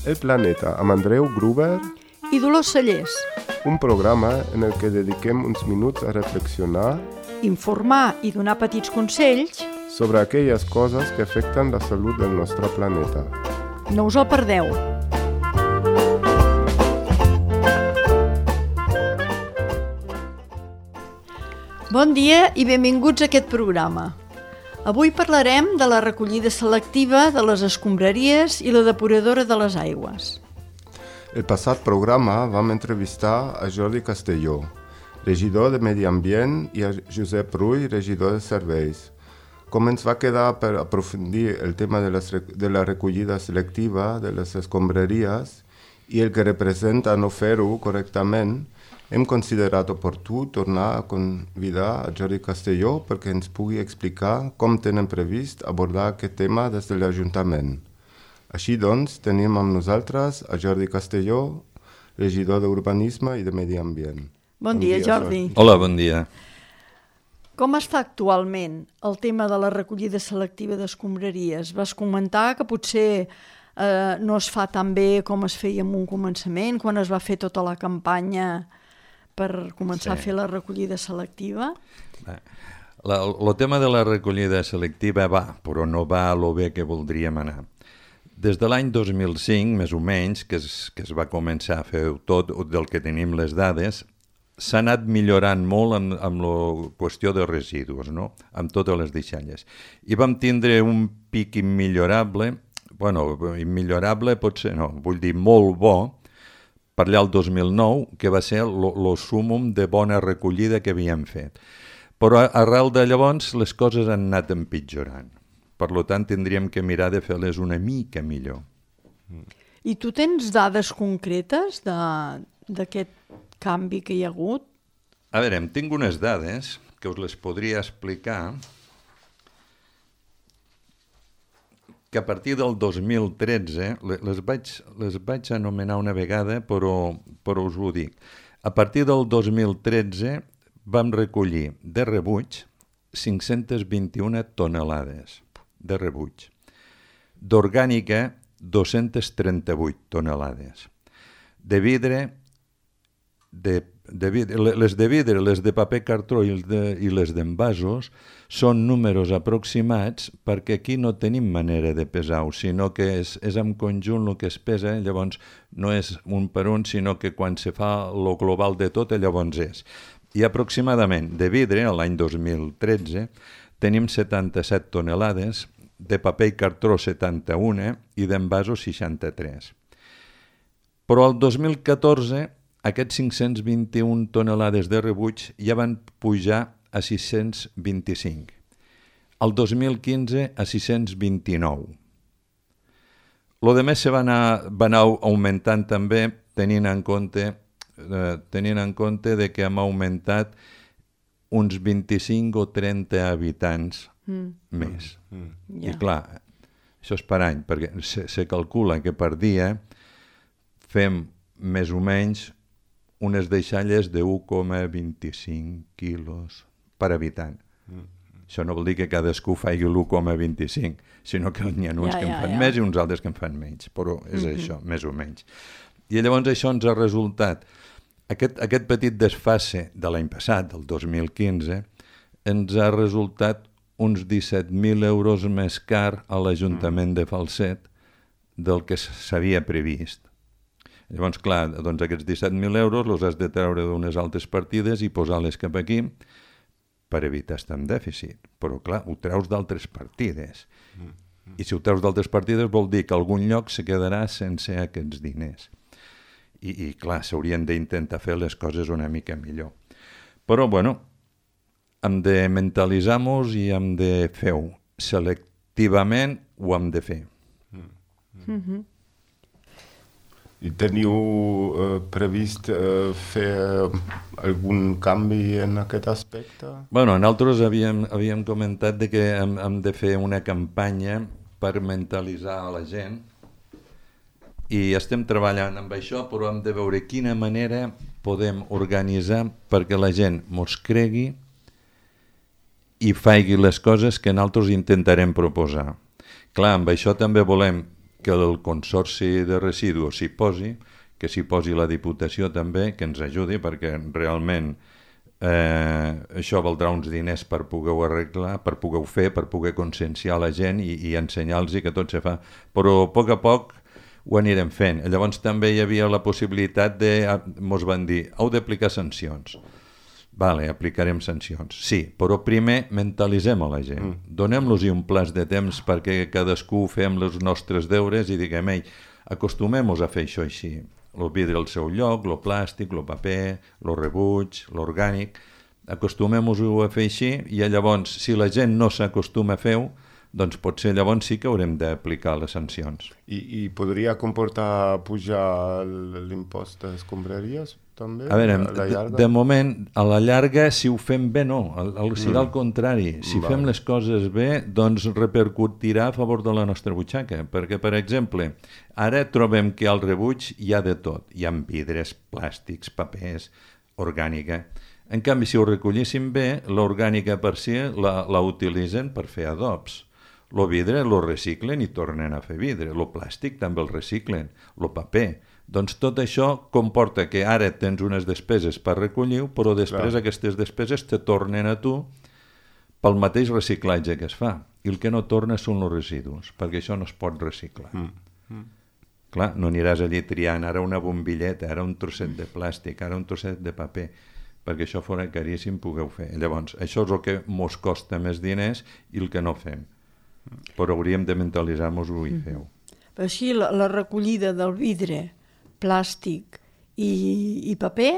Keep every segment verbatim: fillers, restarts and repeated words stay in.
El Planeta amb Andreu Gruber i Dolors Cellers. Un programa en el que dediquem uns minuts a reflexionar, informar i donar petits consells sobre aquelles coses que afecten la salut del nostre planeta. No us el perdeu. Bon dia i benvinguts a aquest programa. Avui parlarem de la recollida selectiva de les escombraries i la depuradora de les aigües. El passat programa vam entrevistar a Jordi Castelló, regidor de Medi Ambient, i a Josep Rull, regidor de Serveis. Com ens va quedar per aprofundir el tema de, les, de la recollida selectiva de les escombraries i el que representa no fer-ho correctament, hem considerat oportú tornar a convidar a Jordi Castelló perquè ens pugui explicar com tenen previst abordar aquest tema des de l'Ajuntament. Així doncs, tenim amb nosaltres a Jordi Castelló, regidor d'Urbanisme i de Medi Ambient. Bon, bon dia, dia, Jordi. Hola, bon dia. Com està actualment el tema de la recollida selectiva d'escombraries? Vas comentar que potser eh, no es fa tan bé com es feia en un començament, quan es va fer tota la campanya per començar sí. a fer la recollida selectiva? El tema de la recollida selectiva va, però no va a lo bé que voldríem anar. Des de l'any dos mil cinc, més o menys, que es, que es va començar a fer tot del que tenim les dades, s'ha anat millorant molt amb, amb la qüestió de residus, no? Amb totes les deixalles. I vam tindre un pic immillorable, bueno, immillorable potser no, vull dir molt bo, per allà el dos mil nou, que va ser el súmum de bona recollida que havíem fet. Però arrel de llavors les coses han anat empitjorant. Per tant, tindríem que mirar de fer-les una mica millor. I tu tens dades concretes d'aquest canvi que hi ha hagut? A veure, em tinc unes dades que us les podria explicar, que a partir del dos mil tretze, les vaig, les vaig anomenar una vegada, però, però us ho dic. A partir del dos mil tretze vam recollir de rebuig cinc-centes vint-i-una tonelades de rebuig. D'orgànica, dos-centes trenta-vuit tonelades. De vidre, de, de vidre, les de vidre, les de paper cartró i, de, i les d'envasos són números aproximats perquè aquí no tenim manera de pesar-ho, sinó que és, és en conjunt el que es pesa, llavors no és un per un, sinó que quan se fa el global de tot, llavors és. I aproximadament de vidre, l'any dos mil tretze, tenim setanta-set tonelades, de paper i cartró setanta-un i d'envasos seixanta-tres. Però el dos mil catorze aquests cinc-cents vint-i-una tonelades de rebuig ja van pujar a sis-cents vint-i-cinc. El dos mil quinze a sis-cents vint-i-nou. Lo de més se va anar, va anar augmentant també tenint en compte, eh, tenint en compte de que hem augmentat uns vint-i-cinc o trenta habitants mm. més. Mm. I yeah. clar, això és per any, perquè se, se calcula que per dia fem més o menys unes deixalles de u coma vint-i-cinc quilos per habitant. Mm. Això no vol dir que cadascú faci l'u coma vint-i-cinc, sinó que n'hi ha uns ja, que en fan ja, ja. més i uns altres que en fan menys, però és mm-hmm. això, més o menys. I llavors això ens ha resultat, aquest, aquest petit desfase de l'any passat, del dos mil quinze, ens ha resultat uns disset mil euros més car a l'Ajuntament mm. de Falset del que s'havia previst. Llavors, clar, doncs aquests disset mil euros els has de treure d'unes altres partides i posar-les cap aquí per evitar estar en dèficit. Però, clar, ho treus d'altres partides. Mm. I si ho treus d'altres partides vol dir que algun lloc se quedarà sense aquests diners. I, i clar, s'haurien d'intentar fer les coses una mica millor. Però, bueno, hem de mentalitzar-nos i hem de fer-ho. Selectivament ho hem de fer. Mm. Mm-hmm. I teniu eh, previst eh, fer algun canvi en aquest aspecte? Bueno, nosaltres havíem, havíem comentat de que hem, hem de fer una campanya per mentalitzar a la gent i estem treballant amb això, però hem de veure quina manera podem organitzar perquè la gent mos cregui i faci les coses que nosaltres intentarem proposar. Clar, amb això també volem que el Consorci de Residus s'hi posi, que s'hi posi la Diputació també, que ens ajudi, perquè realment eh, això valdrà uns diners per poder-ho arreglar, per poder-ho fer, per poder conscienciar la gent i, i ensenyar-los que tot se fa. Però a poc a poc ho anirem fent. Llavors també hi havia la possibilitat de, mos van dir, heu d'aplicar sancions. Vale, aplicarem sancions. Sí, però primer mentalitzem a la gent. Mm. Donem-los un plaç de temps perquè cadascú fem els nostres deures i diguem, ei, acostumem-nos a fer això així. El vidre al seu lloc, el plàstic, el paper, el rebuig, l'orgànic. Acostumem-nos-ho a fer així i llavors, si la gent no s'acostuma a fer-ho, doncs potser llavors sí que haurem d'aplicar les sancions. I, i podria comportar pujar l'impost d'escombraries també? A veure, de, de moment, a la llarga, si ho fem bé, no. El, el, serà el contrari. Si Va. fem les coses bé, doncs repercutirà a favor de la nostra butxaca. Perquè, per exemple, ara trobem que al rebuig hi ha de tot. Hi ha vidres, plàstics, papers, orgànica. En canvi, si ho recollíssim bé, l'orgànica per si la, la utilitzen per fer adobs. El vidre el reciclen i tornen a fer vidre. El plàstic també el reciclen. El paper. Doncs tot això comporta que ara tens unes despeses per recollir-ho, però després Clar. Aquestes despeses te tornen a tu pel mateix reciclatge que es fa. I el que no torna són els residus, perquè això no es pot reciclar. Mm. Mm. Clar, no aniràs allí triant ara una bombilleta, ara un trosset de plàstic, ara un trosset de paper, perquè això fora caríssim poder fer. Llavors, això és el que mos costa més diners i el que no fem. Però hauríem de mentalitzar-nos-ho i fer-ho. Però així, la, la recollida del vidre, plàstic i, i paper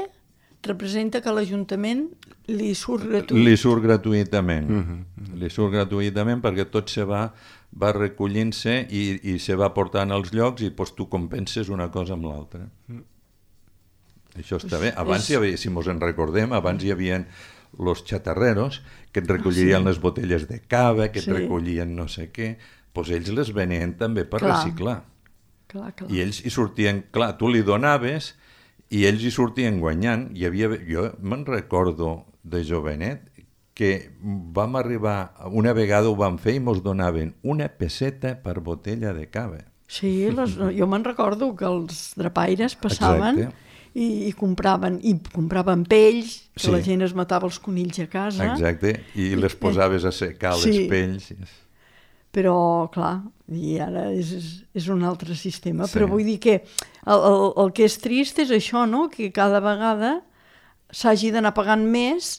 representa que l'Ajuntament li surt gratuït. Li surt gratuïtament. Mm-hmm. Li surt gratuïtament perquè tot se va, va recollint-se i, i se va portant als llocs i doncs, tu compenses una cosa amb l'altra. Mm. Això està bé. Abans, és... hi havia, si mos en recordem, abans hi havia los chatarreros que et recollirien sí. les botelles de cava, que et sí. recollien no sé què, doncs ells les venien també per clar. reciclar. Clar, clar. I ells hi sortien, clar, tu li donaves i ells hi sortien guanyant. Hi havia, jo me'n recordo de jovenet que vam arribar, una vegada ho vam fer i mos donaven una peseta per botella de cava. Sí, les, jo me'n recordo que els drapaires passaven i, i compraven i compraven pells, que sí. la gent es matava els conills a casa. Exacte, i les posaves a secar sí. les pells. Però, clar, i ara és, és un altre sistema. Sí. Però vull dir que el, el, el que és trist és això, no?, que cada vegada s'hagi d'anar pagant més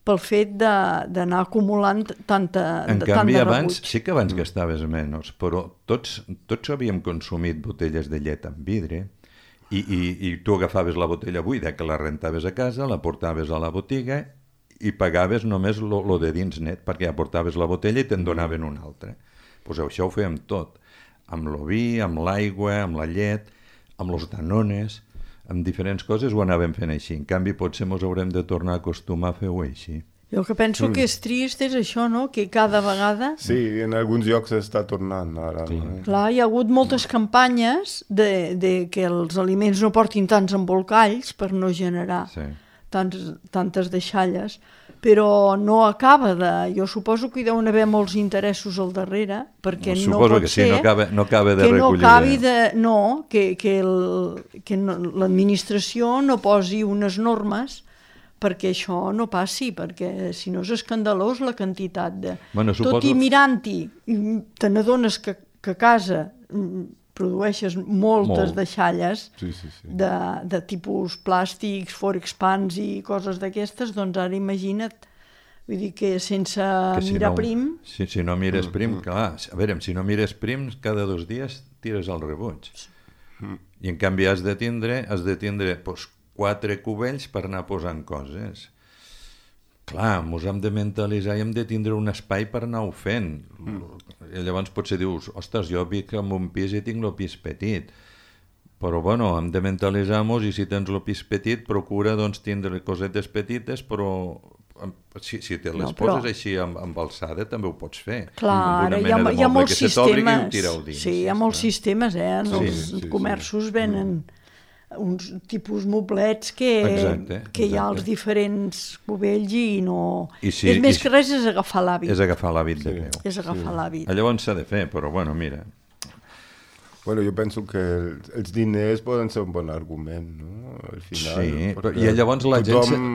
pel fet d'anar acumulant tanta, en tant canvi, de abans, rebuig. sí que abans gastaves menys, però tots, tots havíem consumit botelles de llet amb vidre i, i, i tu agafaves la botella buida que la rentaves a casa, la portaves a la botiga i pagaves només lo, lo de dins net, perquè ja portaves la botella i te'n donaven una altra. Pues això ho fèiem tot, amb el vi, amb l'aigua, amb la llet, amb els danones, amb diferents coses ho anàvem fent així. En canvi, potser ens haurem de tornar a acostumar a fer-ho així. Jo el que penso mm. que és trist és això, no?, que cada vegada... Sí, en alguns llocs està tornant ara. Clar, no? Clar, hi ha hagut moltes campanyes de, de que els aliments no portin tants embolcalls per no generar sí. tants, tantes deixalles, però no acaba de... Jo suposo que hi deuen haver molts interessos al darrere, perquè no, no pot que ser... Sí, no acaba, no acaba de que recollir... No acabi de... No, que, que, el, que no, l'administració no posi unes normes perquè això no passi, perquè si no és escandalós la quantitat de... Bueno, suposo... Tot i mirant-hi, te n'adones que, que a casa produeixes moltes Molt. deixalles sí, sí, sí. De, de tipus plàstics, forexpans i coses d'aquestes, doncs ara imagina't, vull dir que sense que si mirar no, prim... Si, si no mires prim, clar, a veure, si no mires prim, cada dos dies tires al rebuig. I en canvi has de tindre, has de tindre doncs, quatre cubells per anar posant coses. Clar, ens hem de mentalitzar i hem de tindre un espai per anar-ho fent. Mm. I llavors potser dius, ostres, jo vic en un pis i tinc el pis petit. Però bueno, hem de mentalitzar-nos i si tens el pis petit, procura doncs, tindre cosetes petites, però si, si te les no, però... poses així amb, amb alçada també ho pots fer. Clar, ara hi ha, hi ha molts sistemes. Dins, sí, hi ha molts sí, sistemes, eh? En sí, els sí, comerços sí. venen... Mm. uns tipus moblets que, exacte, que hi ha exacte. els diferents cubells i no... I si, és més i que res és agafar l'hàbit. És agafar l'hàbit sí. de peu. És agafar sí. l'hàbit. Llavors s'ha de fer, però bueno, mira, Bueno, jo penso que els diners poden ser un bon argument, no? Al final, sí, però, i llavors la gent... Tothom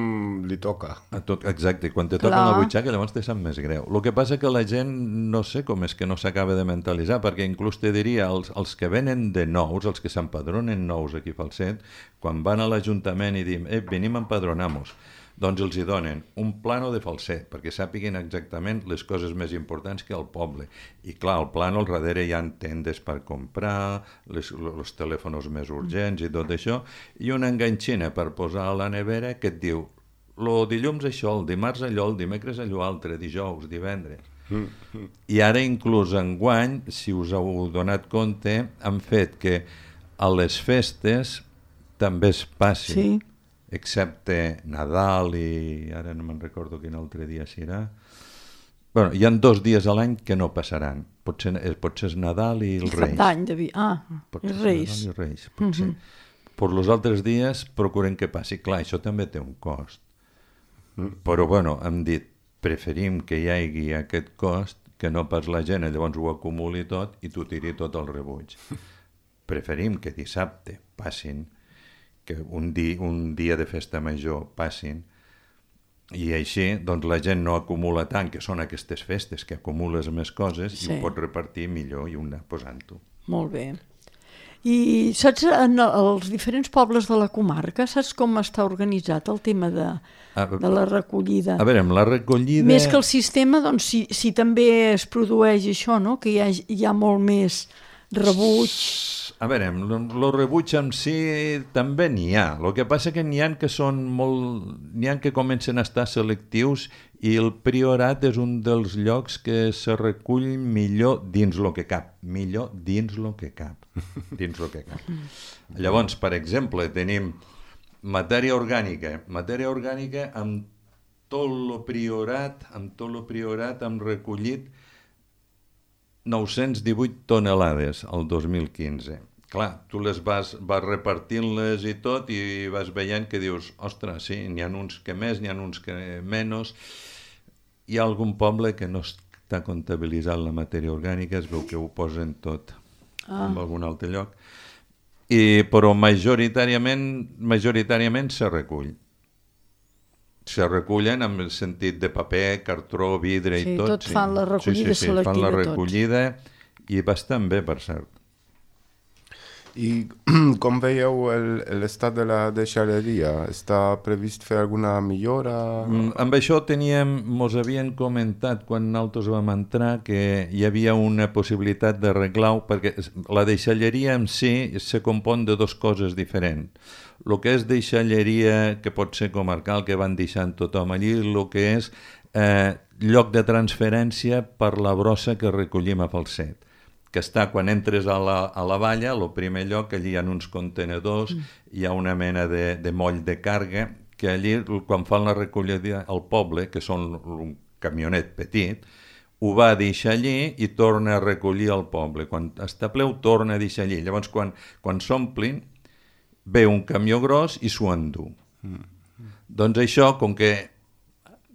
li toca. A tot, exacte, quan te toquen la butxaca llavors te sap més greu. El que passa que la gent no sé com és que no s'acaba de mentalitzar, perquè inclús te diria, els, els que venen de nous, els que s'empadronen nous aquí a Falset, quan van a l'Ajuntament i diuen, eh, venim a empadronar-nos, doncs els hi donen un plano de Falset, perquè sàpiguen exactament les coses més importants que al poble. I clar, al plano al darrere hi ha tendes per comprar, les, els telèfons més urgents i tot això, i una enganxina per posar a la nevera que et diu, el dilluns això, el dimarts allò, el dimecres allò altre, dijous, divendres. Mm-hmm. I ara inclús enguany, si us heu donat compte, han fet que a les festes també es passi. Sí. Excepte Nadal i ara no me'n recordo quin altre dia serà. Bueno, hi ha dos dies a l'any que no passaran. Potser, potser és Nadal i els Reis. Cap d'any, David. Ah, els Reis. Nadal i Reis, potser. Mm-hmm. Per els altres dies procurem que passi. Clar, això també té un cost. Mm. Però, bueno, hem dit, preferim que hi hagi aquest cost que no pas la gent llavors ho acumuli tot i t'ho tiri tot al rebuig. Preferim que dissabte passin, que un, di, un dia de festa major passin, i així doncs, la gent no acumula tant, que són aquestes festes, que acumules més coses sí. I ho pots repartir millor i una posant-ho. Molt bé. I saps, en els diferents pobles de la comarca, saps com està organitzat el tema de, a, de la recollida? A veure, amb la recollida... Més que el sistema, doncs, si, si també es produeix això, no? Que hi ha, hi ha molt més rebuig... A veure, el rebuig en si també n'hi ha. El que passa que n'hi ha que són molt... n'hi ha que comencen a estar selectius i el Priorat és un dels llocs que se recull millor dins el que cap. Millor dins el que cap. Dins el que cap. Llavors, per exemple, tenim matèria orgànica. Matèria orgànica amb tot el Priorat, amb tot el Priorat hem recollit nou-cents divuit tonelades el dos mil quinze. Clar, tu les vas, vas repartint-les i tot i vas veient que dius, ostres, sí, n'hi ha uns que més, n'hi ha uns que menys. Hi ha algun poble que no està comptabilitzant la matèria orgànica, es veu que ho posen tot ah. en algun altre lloc. I, però majoritàriament, majoritàriament se recull. Se recullen en el sentit de paper, cartró, vidre sí, i tot. Tot sí, tot fan la recollida sí, sí, sí, selectiva. Fan la recollida tots. I bastant bé, per cert. I com veieu l'estat de la deixalleria? Està previst fer alguna millora? Mm, amb això teníem, mos havien comentat quan nosaltres vam entrar que hi havia una possibilitat d'arreglar-ho, perquè la deixalleria en si se compon de dues coses diferents. El que és deixalleria, que pot ser comarcal, que van deixant tothom allí, el que és eh, lloc de transferència per la brossa que recollim a Falset, que està quan entres a la, a la valla, el primer lloc, allí hi ha uns contenedors, mm. hi ha una mena de, de moll de càrrega, que allí, quan fan la recollida al poble, que són un camionet petit, ho va deixar allí i torna a recollir al poble. Quan està ple, ho torna a deixar allí. Llavors, quan, quan s'omplin, ve un camió gros i s'ho endú. Mm. Doncs això, com que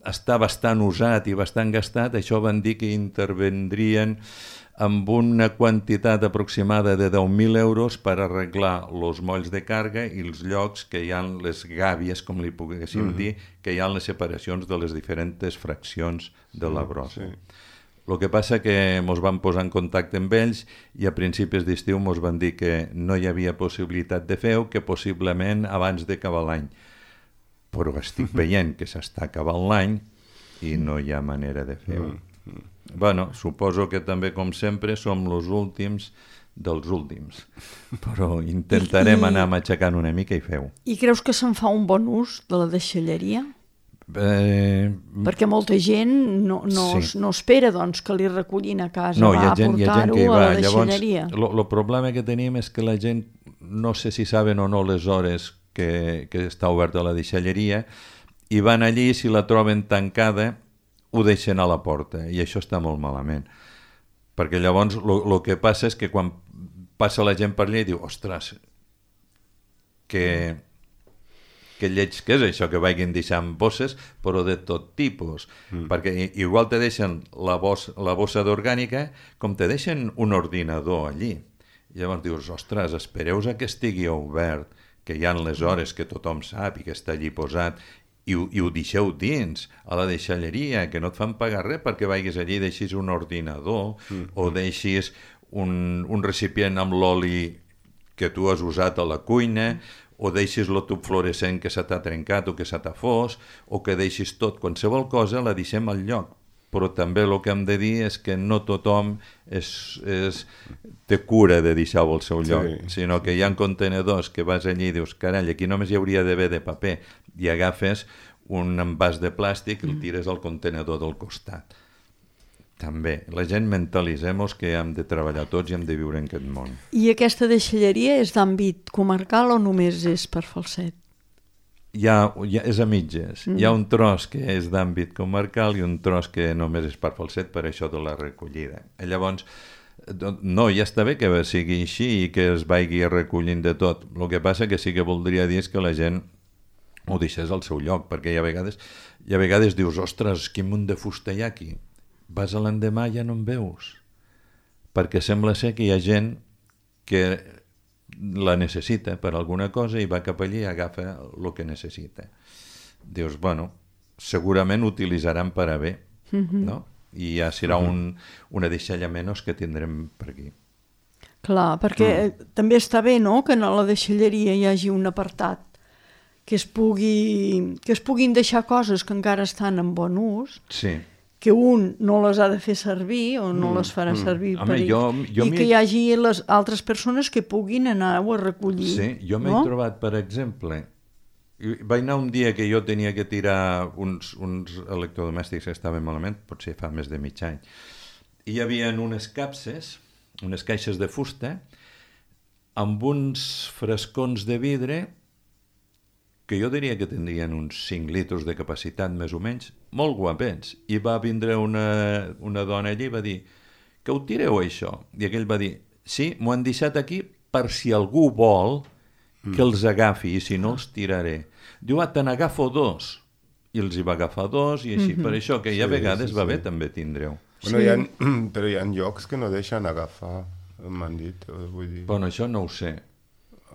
està bastant usat i bastant gastat, això van dir que intervendrien amb una quantitat aproximada de deu mil euros per arreglar els molls de càrrega i els llocs que hi ha les gàbies, com li poguéssim mm-hmm. dir, que hi ha les separacions de les diferents fraccions de la brossa. Sí. El que passa que ens vam posar en contacte amb ells i a principis d'estiu ens van dir que no hi havia possibilitat de fer-ho, que possiblement abans d'acabar l'any. Però estic veient que s'està acabant l'any i no hi ha manera de fer-ho. Mm. Bueno, suposo que també, com sempre, som els últims dels últims, però intentarem I, anar matxacant una mica i feu. I creus que se'n fa un bon ús de la deixalleria? Eh... Perquè molta gent no, no, sí. no espera doncs, que li recollin a casa, no, va a gent, portar-ho a la deixalleria. El problema que tenim és que la gent, no sé si saben o no les hores que, que està oberta la deixalleria, i van allí, si la troben tancada, ho deixen a la porta, i això està molt malament. Perquè llavors el que passa és que quan passa la gent per allà i diu, ostres, que, que lleig que és això, que vagin deixant bosses, però de tot tipus. Mm. Perquè igual te deixen la, bos, la bossa d'orgànica com te deixen un ordinador allí. Llavors dius, ostres, espereu a que estigui obert, que hi ha les hores que tothom sap i que està allí posat, i ho, i ho deixeu dins, a la deixalleria, que no et fan pagar res perquè vagis allí i deixis un ordinador, mm. o deixis un, un recipient amb l'oli que tu has usat a la cuina, o deixis el tub fluorescent que se t'ha trencat o que se t'ha fos, o que deixis tot, qualsevol cosa la deixem al lloc. Però també el que hem de dir és que no tothom és, és, té cura de deixar-ho al seu lloc, sí, sinó que hi ha contenedors que vas allí i dius, carai, aquí només hi hauria d'haver de paper, i agafes un envàs de plàstic i el tires al contenedor del costat. També, la gent mentalitzem-nos que hem de treballar tots i hem de viure en aquest món. I aquesta deixalleria és d'àmbit comarcal o només és per Falset? Hi ha, hi ha, és a mitges. Mm. Hi ha un tros que és d'àmbit comarcal i un tros que només és per Falset, per això de la recollida. Llavors, no, ja està bé que sigui així i que es vagi recollint de tot. El que passa que sí que voldria dir és que la gent ho deixés al seu lloc, perquè hi ha vegades, hi ha vegades dius, ostres, quin munt de fusta hi ha aquí. Vas a l'endemà i ja no en veus. Perquè sembla ser que hi ha gent que la necessita per alguna cosa i va cap allí i agafa el que necessita. Dius, bueno, segurament utilitzaran per a bé, mm-hmm. no? I ja serà un, una deixalla menys que tindrem per aquí. Clar, perquè mm. també està bé, no?, que a la deixalleria hi hagi un apartat que es pugui, que es puguin deixar coses que encara estan en bon ús, sí. que un no les ha de fer servir o no mm, les farà mm. servir Home, per ell, jo, jo i que hi hagi les altres persones que puguin anar-ho a recollir. Sí, jo m'he no? trobat, per exemple, vaig anar un dia que jo tenia que tirar uns, uns electrodomèstics que estaven malament, potser fa més de mig any, i hi havia unes capses, unes caixes de fusta, amb uns frescons de vidre que jo diria que tindrien uns cinc litres de capacitat, més o menys, molt guapets. I va vindre una, una dona allí i va dir, que ho tireu això? I aquell va dir, sí, m'ho han deixat aquí per si algú vol que els agafi, i si no els tiraré. Diu, ah, te n'agafo dos. I els hi va agafar dos, i així. Mm-hmm. Per això que hi ha sí, vegades sí, sí. va bé també tindreu. Bueno, sí. hi ha, però hi ha llocs que no deixen agafar, m'han dit. Vull dir. Bueno, això no ho sé.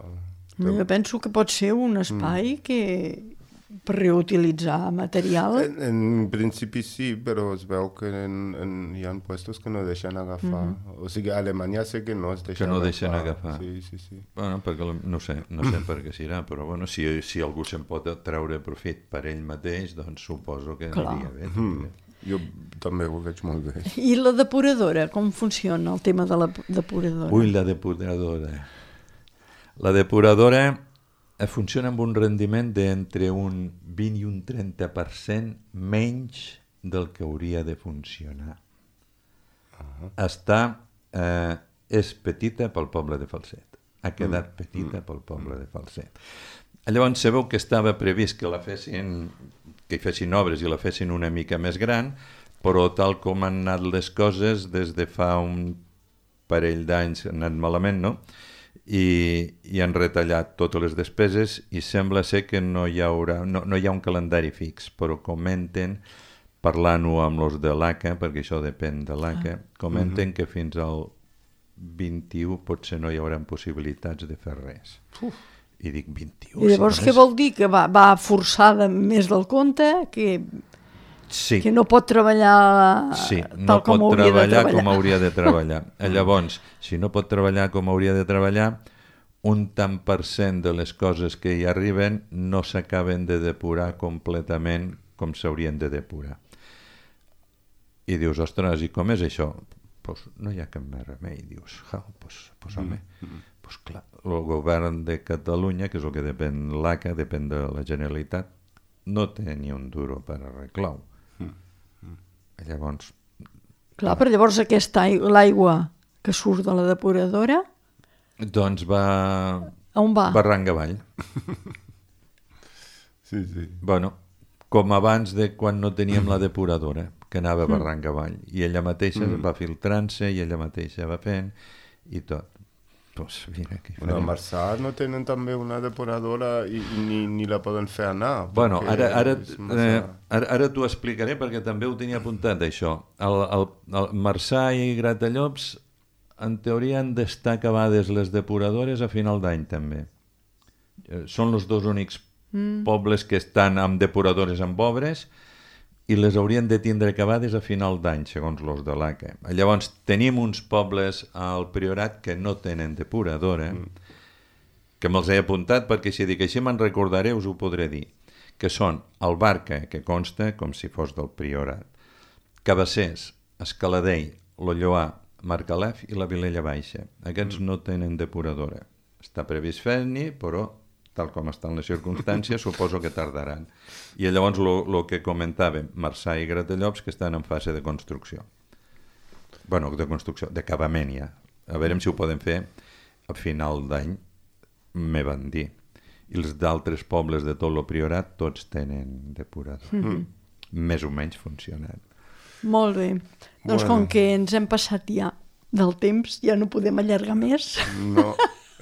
Oh. Jo penso que pot ser un espai mm. que per reutilitzar material. En, en principi sí, però es veu que en, en, hi ha puestos que no deixen agafar. Mm. O sigui, a Alemanya sé que no es deixen agafar. Que no agafar. deixen agafar. Sí, sí, sí. Bueno, perquè no sé, no sé per què serà, però bueno, si, si algú se'n pot treure profit per ell mateix, doncs suposo que Clar. aniria bé. Mm. Jo també ho veig molt bé. I la depuradora, com funciona el tema de la depuradora? Ui, la depuradora... La depuradora funciona amb un rendiment d'entre un vint i un trenta per cent menys del que hauria de funcionar. Uh-huh. Està, eh, és petita pel poble de Falset. Ha quedat mm. petita mm. pel poble de Falset. Llavors sabeu que estava previst que la fessin, que hi fessin obres i la fessin una mica més gran, però tal com han anat les coses, des de fa un parell d'anys han anat malament, no?, i, i han retallat totes les despeses i sembla ser que no hi haurà, no, no hi ha un calendari fix, però comenten, parlant-ho amb els de l'A C A, perquè això depèn de l'A C A, comenten uh-huh. que fins al vint-i-u potser no hi haurà possibilitats de fer res. Uf. I dic vint-i-u... I llavors si no és... què vol dir? Que va, va forçada més del compte? Que... Sí. Que no pot treballar sí, no tal com pot hauria treballar de treballar. com hauria de treballar. Llavors, si no pot treballar com hauria de treballar, un tant per cent de les coses que hi arriben no s'acaben de depurar completament com s'haurien de depurar. I dius, ostres, i com és això? Pues no hi ha cap més remei. Dius, ja, pues, pues home, mm-hmm. pues clar, el govern de Catalunya, que és el que depèn l'A C A, depèn de la Generalitat, no té ni un duro per arreglar-ho. Llavors... Clar, però llavors aquesta aigua, l'aigua que surt de la depuradora... Doncs va... A on va? Barranc avall. Sí, sí. Bueno, com abans de quan no teníem la depuradora, que anava barranc avall, i ella mateixa mm. va filtrant-se, i ella mateixa va fent, i tot. Pues mira, què bueno, a Marçà no tenen també una depuradora i, i ni, ni la poden fer anar. Bueno, ara, ara, eh, ara, ara t'ho explicaré perquè també ho tenia apuntat, això. El, el, el Marçà i Gratallops en teoria han d'estar acabades les depuradores a final d'any també. Eh, són els dos únics mm. pobles que estan amb depuradores amb obres i les haurien de tindre acabades a final d'any, segons los de l'A C E. Llavors, tenim uns pobles al Priorat que no tenen depuradora, mm. que me'ls he apuntat perquè si dic així me'n recordaré us ho podré dir, que són el Barca, que consta com si fos del Priorat, Cabassers, Escaladell, Lolloà, Margalef i la Vilella Baixa. Aquests mm. no tenen depuradora. Està previst fer-n'hi, però tal com estan les circumstàncies, suposo que tardaran. I llavors el que comentàvem, Marçà i Gratallops, que estan en fase de construcció. Bueno, de construcció, d'acabament ja. A veure si ho podem fer a final d'any, me van dir. I els d'altres pobles de tot el Priorat, tots tenen depurador. Mm-hmm. Més o menys funcionant. Molt bé. Doncs bueno. Com que ens hem passat ja del temps, ja no podem allargar més. No.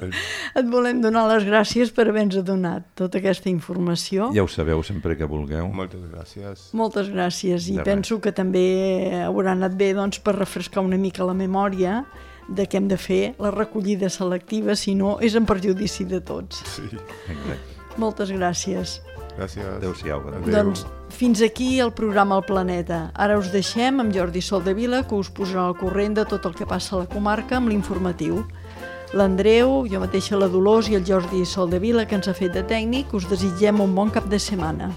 Et volem donar les gràcies per haver-nos donat tota aquesta informació. Ja ho sabeu sempre que vulgueu. Moltes gràcies. Moltes gràcies. I de penso res. Que també haurà anat bé doncs, per refrescar una mica la memòria de què hem de fer la recollida selectiva, si no és en perjudici de tots. Sí. Exacte. Moltes gràcies. Gràcies. Adéu-siau. Adéu. Doncs fins aquí el programa El Planeta. Ara us deixem amb Jordi Soldevila, que us posarà al corrent de tot el que passa a la comarca amb l'informatiu. L'Andreu, jo mateixa la Dolors i el Jordi Soldevila, que ens ha fet de tècnic, us desitgem un bon cap de setmana.